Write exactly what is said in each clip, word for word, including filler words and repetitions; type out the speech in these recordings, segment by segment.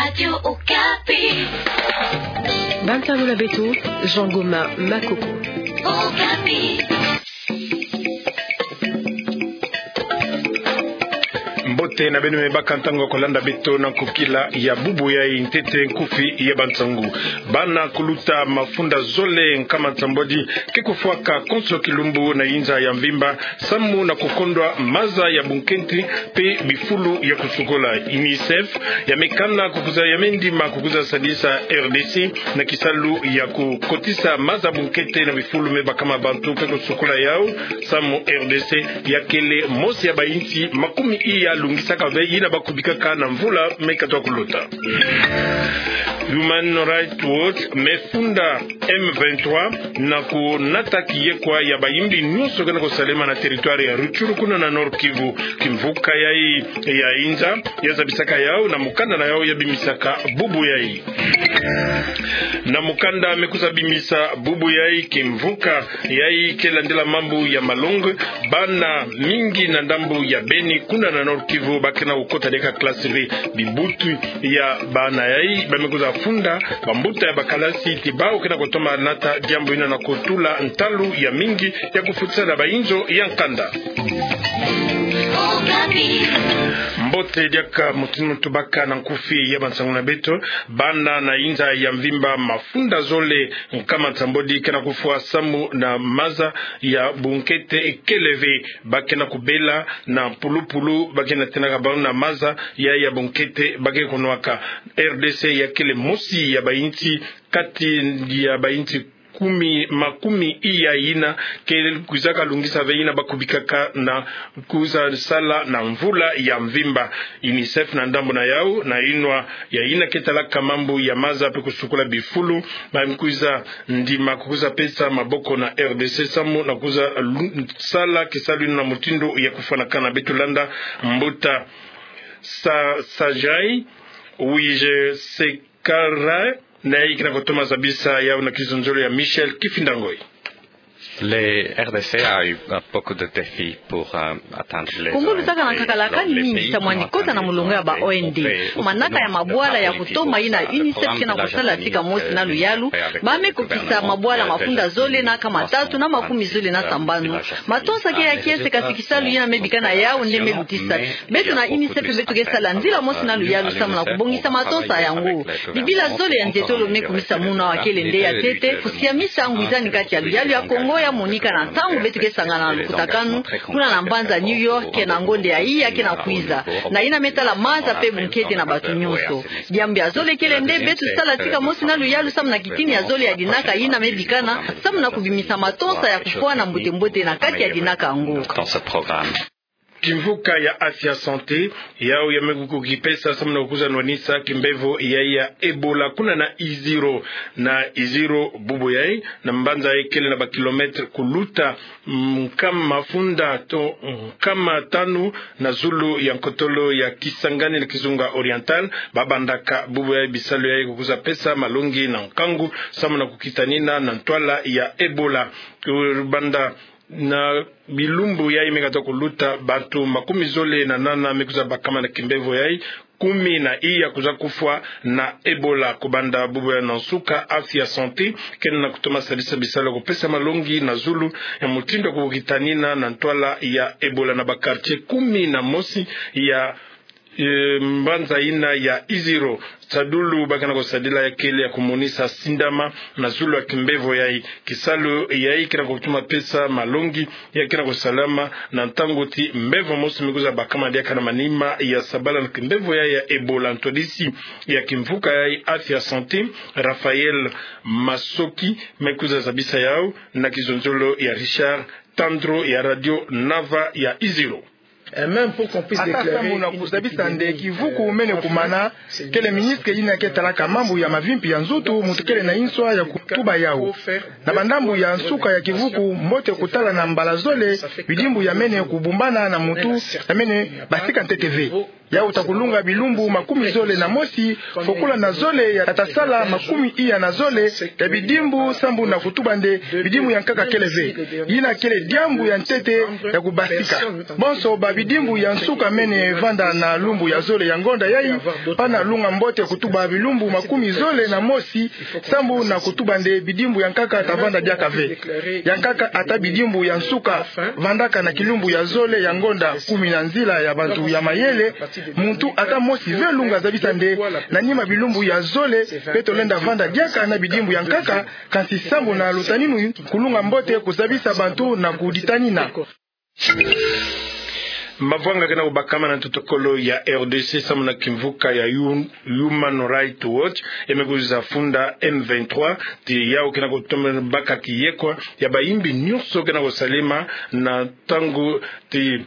Radio Okapi. Bantangu na beto, Jean Goma Makoko. Okapi. Mbote na beno me baka ntangu ya kolanda beto na nkokila ya bubu yai. Ntete nkufi ya bantangu. Bana kuluta mafunda zole nkama nsambwadi ke kufwaka konso kilumbu na inza ya mvimba, samu na kukondwa maza ya bunkete mpe bifulu ya kusukola. UNICEF ya mekana kukuza, ya mendima kukuza sadisa R D C na kisalu ya kukotisa maza bunkete na bifulu me bakama bantu mpe kusukola yau, samu R D C ya kele mosi ya bainsi makumi iya lungisaka ve yina ba kubikaka na mvula me kata kuluta. Human Rights Watch me funda M vingt-trois na kunata kiyekwa ya bayimbi nyonso ke na kusalema na territoire ya Rutshuru kuna na Nord-Kivu. Kimvuka yai ya inza ya zabisaka yau na mukanda na yau ya bimisaka bubu yai. Na mukanda me kuza bimisa bubu yai, kimvuka yai ke landila mambu ya malongi, bana mingi na ndambu ya Beni kuna na Nord-Kivu ba ke na kukota diaka classe ve. Bibutu ya bana yai ba me kuza funda, bambuta ya bakalasi ti bau ke na kutoma nata diambu yina na kutula ntalu ya mingi ya kufutisa na bainzo ya nkanda. Mbote diaka mutindu tubaka na nkufi ya bantangu na beto. Bana na inza ya mvimba mafunda zole nkama nsambwadi ke na kufwa samu na maza ya bunkete kele ve. Ba ke na kubela na pulupulu, ba ke na tenaka bau na maza ya, ya bunkete ba ke kunwaka. R D C ya kele mosi ya bainsi, kati ya bainsi kumi, makumi iya yina ke kwizaka lungisa ve yina ba kubikaka na kuza sala na mvula ya mvimba. UNICEF na ndambu na yau, na inwa ya yina ke talaka mambu ya maza mpe kusukola bifulu, ba me kwiza ndima kukuza pesa maboko na R D C samu na kuza lu-, sala kisalu yina na mutindu ya kufwanakana. Beto landa mbuta Sa-, Sajai Wije Sekara, na yai ke na kutoma zabisa yau na kizonzolo ya Michel Kifinda Ngoi. Le R D C a eu, euh, beaucoup de défis pour, euh, atteindre les O N D. Kongo lutaka na kakalakani mingi samu na kota na mulongo ya ba O N D. Manaka ya mabwala ya kutoma yina UNICEF ke na kusala tika mosi na luyalu, ba me kukisa mabwala mafunda zole na nkama tatu na makumi zole na sambanu. Matonsa ke ya kiese, kasi kisalu yina me bikana yau nde me lutisa. Beto na UNICEF beto ke sala nzila mosi na luyalu samu na kubongisa matonsa yango. Bibila zole ya nzietolo me kumisa munu wa kele nde ya ntete, kusiamisa ngwizani kati ya luyalu ya Kongo ya monika na ntangu beto ke sangana na lukutakanu kuna na mbanza New York, ke na ngonde ya iya ke na kwiza, na yina me tala maza mpe bunkete na bato nyonso. Diambu ya zole kele nde beto sala tika mosi na luyalu samu na kitini ya zole ya dinaka yina me bikana, samu na kubimisa matonsa ya kufwa na mbote-mbote na kati ya dinaka yango. Kimvuka ya Afya Santé, yau ya me kukipesa samu na kukuza nwanisa kimbevo ya, ya Ebola kuna na Iziro. Na Iziro bubu yai, na mbanza yai kele na ba kilomètre kuluta, mm, nkama mafunda to, mm, nkama tanu na zulu ya nkotolo ya Kisangani na Kizunga Oriental, ba bandaka bubu yai bisalu yai kukuza pesa malongi na nkangu, samu na kukitanina na ntwala ya Ebola. Kubanda na bilumbu yai me kata kuluta, bato makumi zole na nana me kwiza bakama na kimbevo yai, kumi na iya kwiza kufwa na Ebola. Kubanda bubu yai na nsuka, Afya Santé ke na kutoma sadisa bisalu ya kupesa malongi na zulu ya mutindu ya kukitanina na ntwala ya Ebola na ba quartier kumi na mosi ya e, mbanza yina ya Iziro. Sadulu ba ke na kusadila ya kele ya kumonisa sindama na zulu ya kimbevo yai. Kisalu yai ke na kutuma pesa malongi ya ke na kusalama na ntangu ti mbevo mosi me kwiza bakama diaka na manima ya sabala na kimbevo yai ya Ebola. Ntwadisi ya kimvuka yai Afya Santé, Raphaël Masoki, me kwiza zabisa yau na kizonzolo ya Richard Tandro ya Radio Nava ya Iziro. Ata samu na kuzabisa nde kivuku mene kumana, kele ministre yina ke talaka mambu ya mavimpi ya nzutu, muntu kele na inswa ya kutuba yau. Na bandambu ya nsuka ya kivuku, mbote kutala na mbala zole bidimbu ya mene kubumbana na muntu, ya mene basika ntete ve. Yau ta kulunga bilumbu makumi zole na mosi, fokola na zole ya ta sala makumi iya na zole ya bidimbu, sambu na kutuba nde bidimbu ya nkaka kele ve. Yina kele diambu ya ntete ya kubasika. Bonso ba bidimbu ya nsuka mene vanda na lumbu ya zole ya ngonda yai, pana lunga mbote kutuba bilumbu makumi zole na mosi, sambu na kutuba nde bidimbu ya nkaka ta vanda diaka ve. Ya nkaka ata bidimbu ya nsuka vandaka na kilumbu ya zole ya ngonda kumi na nzila ya bantu ya mayele, muntu ata mosi ve lunga zabisa nde na nima bilumbu ya zole beto lenda vanda diaka na bidimbu ya nkaka, kansi sambu na lutaninu kulunga mbote kuzabisa bantu na kuditanina. Mavwanga ke na kubakama na ntotokolo ya R D C sambu na kimvuka ya Hu-, Human Rights Watch, ya me kwiza funda M vingt-trois, ti yau ke na kutoma baka kiyekwa ya bayimbi nyonso ke na kusalema na ntangu ti,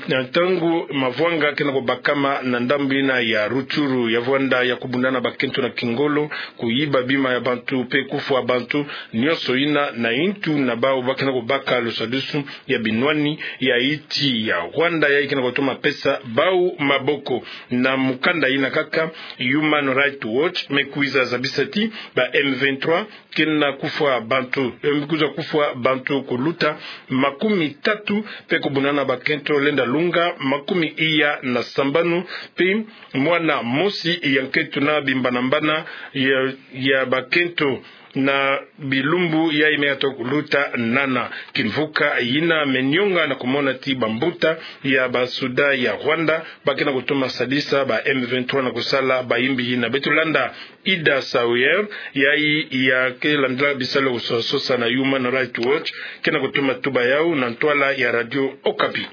na ntangu mavwanga ke na kubakama na ndambu yina ya Rutshuru, ya vwanda ya kubundana bakento na kingolo, kuyiba bima ya bantu, pe kufwa bantu, nyonso yina na ntu na bau ba ke na kubaka lusadisu ya binwani ya insi ya Rwanda, yayi ke na kutoma pesa bau maboko. Na mukanda yina kaka, Human Rights Watch me kwiza zabisa ti ba M vingt-trois ke na kufwa bantu, eh, me kwiza kufwa bantu kuluta makumi tatu, pe kubundana bakento lenda lunga makumi iya na sambanu, pe mwana mosi ya nkento na bimbanambana ya, ya bakento na bilumbu yayi me yato kuluta nana. Kimvuka yina me nyonga na kumona ti bambuta ya basoda ya Rwanda ba ke na kutoma sadisa ba M vingt-trois na kusala bayimbi yina. Beto landa Ida Sawyer, yayi ya ke landila bisalu ya kusosasosa na Human Rights Watch, ke na kutoma tuba yau na ntwala ya Radio Okapi.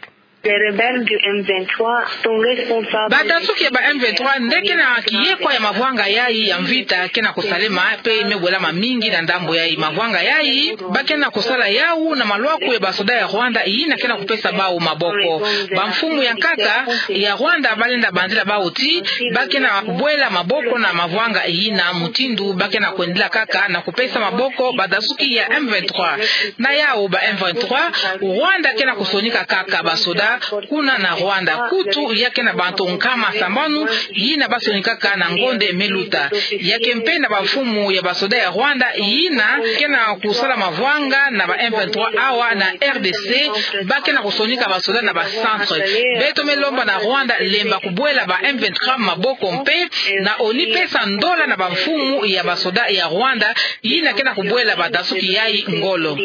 Les rebelles du M vingt-trois sont responsables. Badasuki ya ba M vingt-trois nde ke na kiyekwa ya mavwanga yayi ya mvita ke na kusalema pe me bwelama mingi na ndambu yayi. Mavwanga yayi ba ke na kusala yau na malwaku ya basoda ya Rwanda yina ke na kupesa bau maboko. Bamfumu ya nkaka ya Rwanda ba lenda banzila bau ti ba ke na kubwela maboko na mavwanga yina, mutindu ba ke na kwendila kaka na kupesa maboko badasuki ya M vingt-trois. Na yau ba M vingt-trois, Rwanda ke na kusonika kaka basoda kuna na Rwanda. Kutu ya ke na bantu nkama sambanu yina ba sonikaka na ngonde me luta. Ya ke mpe na bamfumu ya basoda ya Rwanda yina ke na kusala mavwanga na ba M vingt-trois awa na R D C, ba ke na kusonika basoda na ba centre. Beto me lomba na Rwanda lemba kubwela ba M vingt-trois maboko mpe na ONU pesa ndola na bamfumu ya basoda ya Rwanda yina ke na kubwela badasuki yayi ngolo.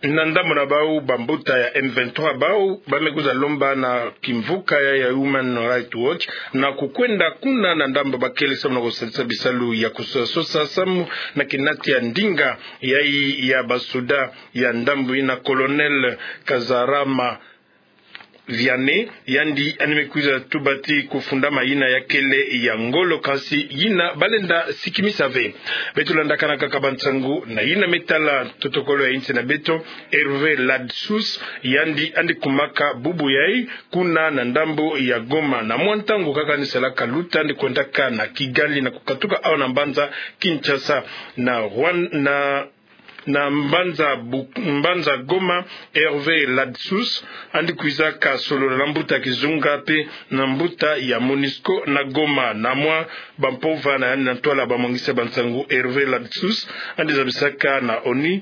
Na ndambu na bau, bambuta ya M vingt-trois bau ba me kwiza lomba na kimvuka ya, ya Human Rights Watch na kukwenda kuna na ndambu bakele samu na kusadisa bisalu ya kusosasosa samu na kinatia ndinga yayi ya basoda ya ndambu yina, Colonel Kazarama Vianney, yandi yandi me kwiza tuba ti kufundama yina ya kele ya ngolo, kansi yina ba lenda sikimisa ve. Beto landakana kaka bansangu na yina me tala ntotokolo ya insi na beto. Hervé Ladsous, yandi yandi kumaka bubu yayi kuna na ndambu ya Goma. Na mwa ntangu kaka yandi salaka luta, yandi kwendaka na Kigali na kukatuka awa na mbanza Kinshasa. Na Rwan-, na na mbanza Bu-, mbanza Goma, Hervé Ladsous yandi kwizaka solola na mbuta kizunga pe na mbuta ya MONUSCO na Goma. Na mwa bampova na yandi na ntwala bamwangisa bansangu, Hervé Ladsous yandi zabisaka na ONU,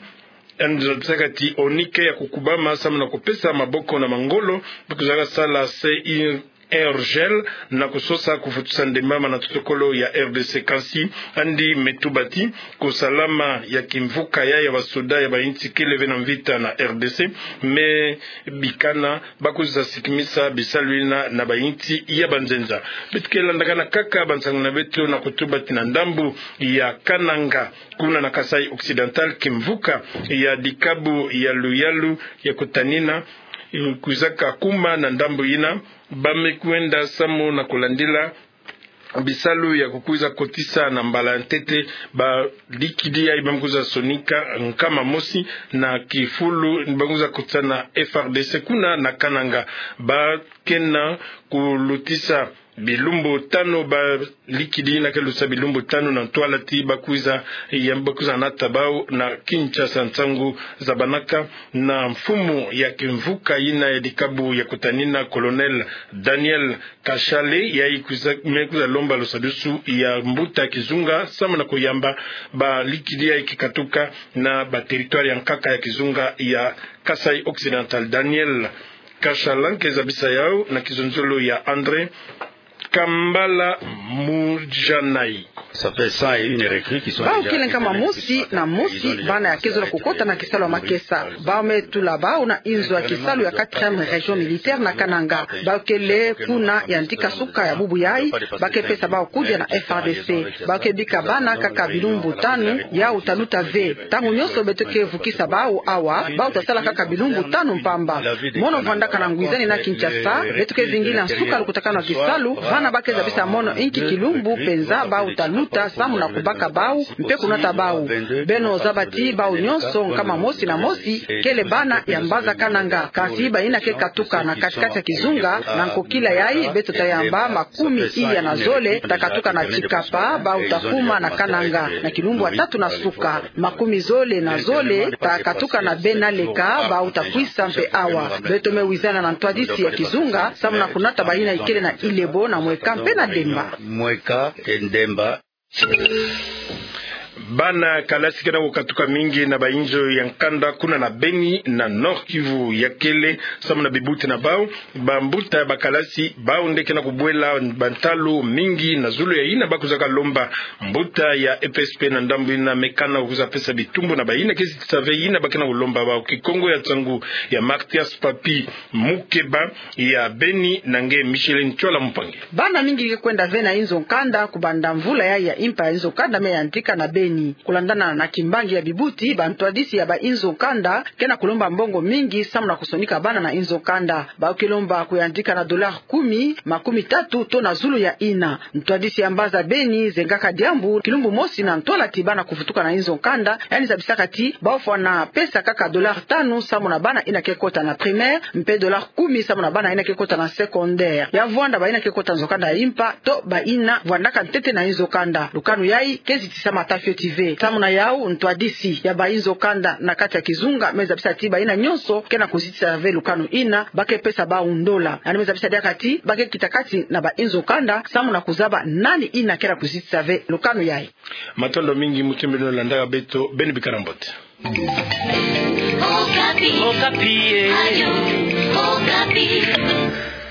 yandi zabisaka ti ONU ke ya kukubama samu na kupesa maboko na mangolo ba kwizaka sala se i- aérogel na kusosa kufutusa ndembama na ntotokolo ya R D C, kansi yandi me tuba ti kusalama ya kimvuka ya, ya basoda ya bainsi kele ve na mvita na R D C me bikana ba kwiza sikimisa bisalu yina na bainsi ya banzenza. Beto ke landakana kaka bansangu na beto na kutuba ti na ndambu ya Kananga, kuna na Kasaï Occidental, kimvuka ya dikabu ya luyalu ya kutanina kwizaka kuma na ndambu yina. Ba me kwenda samu na kulandila bisalu ya kukwiza kotisa na mbala ya ntete badikidi yayi ba me kwiza sonika nkama mosi na kifulu ba me kwiza kotisa na F A R D C kuna na Kananga. Ba ke na kulutisa Bilumbu tanu, balikidi yina ke lusa bilumbu tanu na ntwala ti bakwiza, ya bakwiza nata bau na Kinshasa nsangu zabanaka na mfumu ya kimvuka yina ya dikabu ya kutanina, Colonel Daniel Kashale, yayi kwiza, me kwiza lomba lusadusu ya mbuta kizunga samu na kuyamba balikidi yayi ke katuka na ba territoire ya nkaka ya kizunga ya Kasaï Occidental. Daniel Kashale ke zabisa yau na kizonzolo ya André Kambala Mujanayi. Bau kele nkama mosi na mosi bana ya ke zola kukota na kisalu ya makesa. Bau me tula bau na inzo ya kisalu ya quatrième région militaire na Kananga. Bau kele kuna yandi kasuka ya bubu yayi, ba ke pesa bau kudia na F A R D C. Bau ke bika bana kaka bilumbu tanu, yau ta luta ve. Ntangu nyonso beto ke vukisa bau awa, bau ta sala kaka bilumbu tanu mpamba. Mono vwandaka na ngwizani na Kinshasa, beto ke vingila nsuka lukutakanu ya kisalu, bana ba ke zabisa mono inki kilumbu mpenza bau ta luta samu na kubaka bau, mpe kunata bau. Beno zaba ti bau nyonso nkama mosi na mosi, kele bana ya mbaza Kananga. Kansi bayina ke katuka na kati-kati ya kizunga, na nkokila yayi, beto ta yamba makumi iya na zole ta katuka na Tshikapa, bau ta kuma na Kananga. Na kilumbu ya tatu na suka, makumi zole na zole ta katuka na Bena Leka, bau ta kwisa mpe awa. Beto me wizana na ntwadisi ya kizunga, samu na kunata bayina ikele na Ilebo, na Mweka mpe na Demba. Bana kalasi ke na kukatuka mingi na bainzo ya nkanda kuna na Beni, na Nord-Kivu, ya kele samu na bibuti na bau. Bambuta ya bakalasi, bau nde ke na kubwela bantalu mingi na zulu ya yina ba kwizaka lomba. Mbuta ya E P S P na ndambu yina me kana kwiza pesa bitumbu na bayina ke zitisa ve yina ba ke na kulomba bau. Kikongo ya nsangu ya Mathias Papi, mukeba ya Beni, na nge Micheline Tchola Mpangi. Bana mingi ke kwenda ve na inzo nkanda, kubanda mvula yayi ya impa ya inzo nkanda me yantika na Beni. Kulandana na kimbangi ya bibuti, bantwadisi ya bainzo nkanda ke na kulomba mbongo mingi samu na kusonika bana na inzo nkanda. Bau ke lomba kuyantika na dollar kumi, makumi tatu to na zulu ya yina. Ntwadisi ya mbaza Beni, Zengaka Diambu, kilumbu mosi na ntwala ti bana kuvutuka na inzo nkanda, yandi zabisaka ti bau fwana pesa kaka dollar tanu samu na bana yina ke kota na primaire, mpe dollar kumi samu na bana yina ke kota na secondaire. Ya vwanda bayina ke kota nzo nkanda ya impa, to bayina vwandaka ntete na inzo nkanda. Lukanu yayi ke zitisama ata fioti ve. Samu na yau, ntwadisi ya bainzo nkanda na kati ya kizunga me zabisa ti bayina nyonso ke na kuzitisa ve lukanu yina, ba ke pesa bau ndola. Yandi me zabisa diaka ti ba ke kita kati na bainzo nkanda samu na kuzaba nani yina ke na kuzitisa ve lukanu yayi. Matondo mingi mutindu beno landaka beto, beno bikana mbote. Okapi. Okapi, eh. Radio Okapi.